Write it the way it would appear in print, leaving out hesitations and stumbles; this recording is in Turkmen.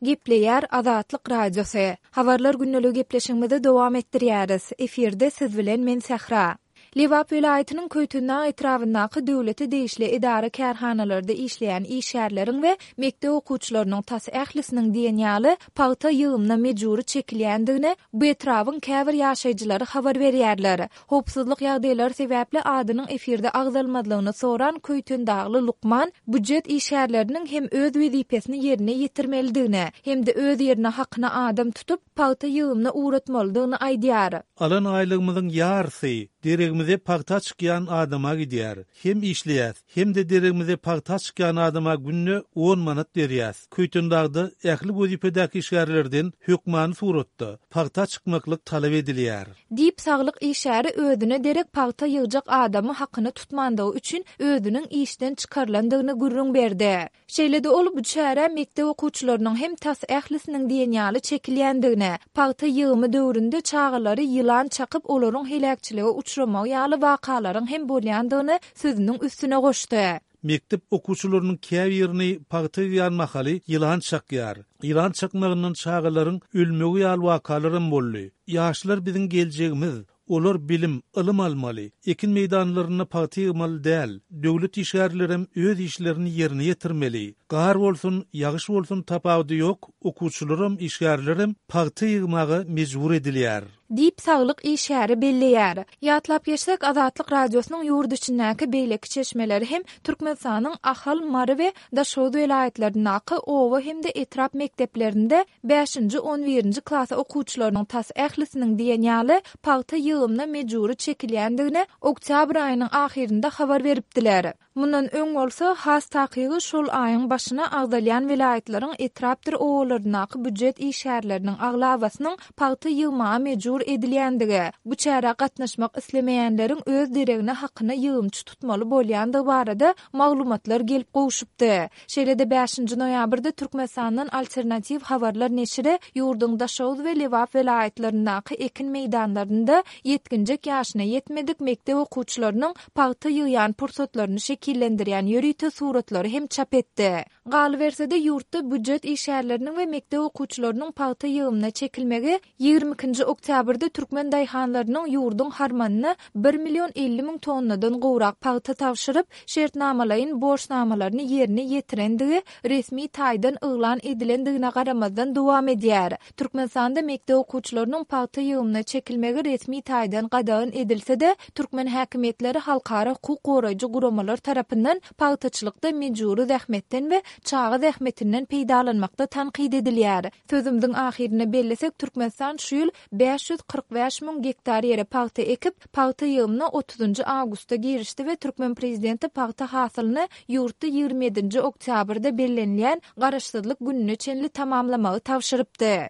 Gepleýär Azatlyk Radiosy. Habarlar gündeligi gepleşigimizi dowam etdirýäris. Efirde siz bilen men Sähra. Lebap welaýatynyň Köýtendag etrabyndaky döwlete degişli edara-kärhanalarda işleýän işgärleriň we mekdep okuwçylarynyň tas ählisiniň diýen ýaly pagta ýygymyna mejbury çekilýändigini bu etrabyň käbir ýaşaýjylary habar berýärler. Howpsuzlyk ýagdaýlary sebäpli adynyň efirde agzalmazlygyny soran köýtendagly lukman býujet işgärleriniň hem öz wezipesini ýerine ýetirmelidigini hem-de öz ýerine hakyna adam tutup, pagta ýygymyna ugratmalydygyny aýdýar. Alan aýlygymyzyň ýarysy deregimize pagta çykýan adama gidýär. Hem işleýäs, hem-de deregimize pagta çykýan adama günde on manat berýäs. Köýtendagda ähli wezipedäki işgärlerden hökmany suratda pagta çykmaklyk talap edilýär. Diýip, saglyk işgäri özüne derek pagta ýygjak adamy hakyna tutmandygy üçin özüniň işden çykarylandygyny gürrüň berdi. Şeýle-de ol bu çärä mekdep okuwçylarynyň hem tas ählisiniň diýen ýaly çekilýändigini, pagta ýygymy döwründe çagalary ýylan çakyp olaryň heläkçilige uçramagy ýaly wakalaryň hem bolýandygyny sözüniň üstüne goşdy. Mekdep okuwçylarynyň käbirini pagta ýygýan mahaly ýylan çakýar. Ýylan çakmagyndan çagalaryň ölmegi ýaly wakalaram boldy. Ýaşlar biziň geljegimiz. Olar bilim, ylym almaly. Ekin meýdanlarynda pagta ýygmaly däl. Döwlet işgärlerem öz işlerini ýerine ýetirmeli. Gar bolsun, ýagyş bolsun tapawudy ýok, okuwçylaram, işgärlerem pagta ýygmaga mejbur edilýär. Diýip, saglyk işgäri belleýär. Ýatlap geçsek, Azatlyk Radiosynyň ýurt içindäki beýleki çeşmeleri hem Türkmenistanyň Ahal, Mary we Daşoguz welaýatlaryndaky oba hem-de etrap mekdeplerinde bäşinji, on birinji klas okuwçylarynyň tas ählisiniň diýen ýaly pagta ýygymyna mejbury çekilýändigini oktýabr aýynyň ahyrynda habar beripdiler. Mundan öň bolsa, has takygy şol aýyň başyna agzalýan welaýatlaryň etrapdyr obalaryndaky býujet işgärleriniň aglabasynyň pagta ýygmaga mejbur edilýändigi, bu çärä gatnaşmak islemeýänleriň öz deregine hakyna ýygymçy tutmaly bolýandygy barada maglumatlar gelip gowşupdy. Şeýle-de bäşinji noýabrda Türkmenistandan Alternatiw habarlar neşiri ýurduň Daşoguz we Lebap welaýatlaryndaky ekin meýdanlarynda ýetginjek ýaşyna ýetmedik mekdep okuwçylarynyň pagta ýygýan pursatlaryny şekillendirýän ýörite suratlary hem çap etdi. Galyberse-de, ýurtda býujet işgärleriniň we mekdep okuwçylarynyň pagta ýygymyna çekilmegi 22-nji oktýabrda türkmen daýhanlarynyň ýurduň harmanyna bir million 50 müň tonnadan gowrak pagta tabşyryp, şertnamalaýyn borçnamalaryny ýerine ýetirendigi resmi taýdan yglan edilendigine garamazdan dowam edýär. Türkmenistanda mekdep okuwçylarynyň pagta ýygymyna çekilmegi resmi taýdan gadagan edilse-de, türkmen häkimiýetleri halkara hukuk goraýjy guramalar tarapyndan pagtaçylykda mejbury zähmetden we çaga zähmetinden peýdalanmakda tankyt edilýär. Sözümiziň ahyrynda bellesek, Türkmenistan şu ýyl 545 müň gektar ýere pagta ekip, pagta ýygymyna otuzynjy awgustda girişdi we türkmen prezidenti pagta hasylyny ýurtda 27 nji oktýabrda bellenilýän Garaşsyzlyk gününe çenli tamamlamagy tabşyrypdy.